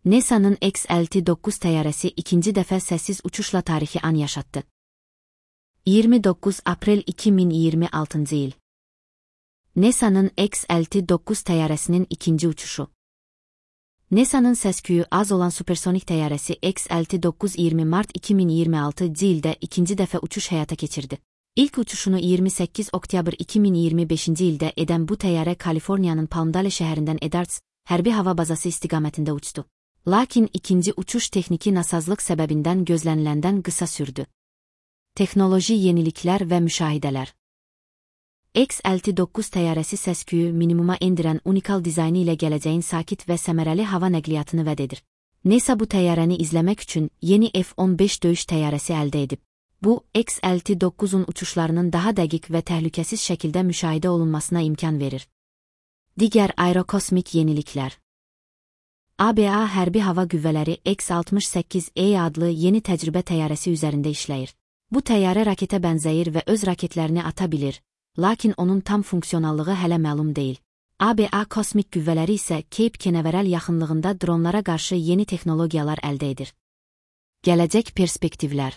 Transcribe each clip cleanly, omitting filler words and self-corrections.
NASA'nın X-59 təyyarəsi ikinci dəfə səssiz uçuşla tarixi an yaşatdı. 29 aprel 2026-cı il. NASA'nın X-59 təyyarəsinin ikinci uçuşu. NASA'nın səs-küyü az olan supersonik təyyarəsi X-59 20 mart 2026-cı ildə ikinci dəfə uçuş həyata keçirdi. İlk uçuşunu 28 oktyabr 2025-ci ildə edən bu təyyarə Kaliforniyanın Palmdale şəhərindən Edarts hərbi hava bazası istiqamətində uçdu. Lakin ikinci uçuş texniki nasazlıq səbəbindən gözləniləndən qısa sürdü. Texnoloji yeniliklər və müşahidələr. X-59 təyyarəsi səs-küyü minimuma endirən unikal dizaynı ilə gələcəyin sakit və səmərəli hava nəqliyyatını vəd edir. NASA bu təyyarəni izləmək üçün yeni F-15 döyüş təyyarəsi əldə edib. Bu, X-59-un uçuşlarının daha dəqiq və təhlükəsiz şəkildə müşahidə olunmasına imkan verir. Digər aerokosmik yeniliklər. ABA Hərbi Hava Qüvvələri X-68E adlı yeni təcrübə təyyarəsi üzərində işləyir. Bu təyyarə raketə bənzəyir və öz raketlərini ata bilir, lakin onun tam funksionallığı hələ məlum deyil. ABA kosmik qüvvələri isə Cape Canaveral yaxınlığında dronlara qarşı yeni texnologiyalar əldə edir. Gələcək perspektivlər.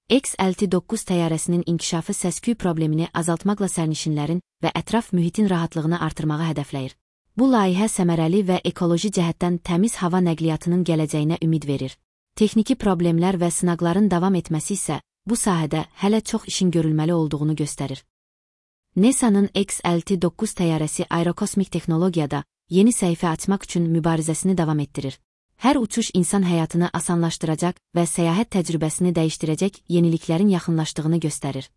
X-59 təyyarəsinin inkişafı səs-küy problemini azaltmaqla sərnişinlərin və ətraf mühitin rahatlığını artırmağı hədəfləyir. Bu layihə səmərəli və ekoloji cəhətdən təmiz hava nəqliyyatının gələcəyinə ümid verir. Texniki problemlər və sınaqların davam etməsi isə bu sahədə hələ çox işin görülməli olduğunu göstərir. NASA'nın X-59 təyyarəsi aerokosmik texnologiyada yeni səhifə açmaq üçün mübarizəsini davam etdirir. Hər uçuş insan həyatını asanlaşdıracaq və səyahət təcrübəsini dəyişdirəcək yeniliklərin yaxınlaşdığını göstərir.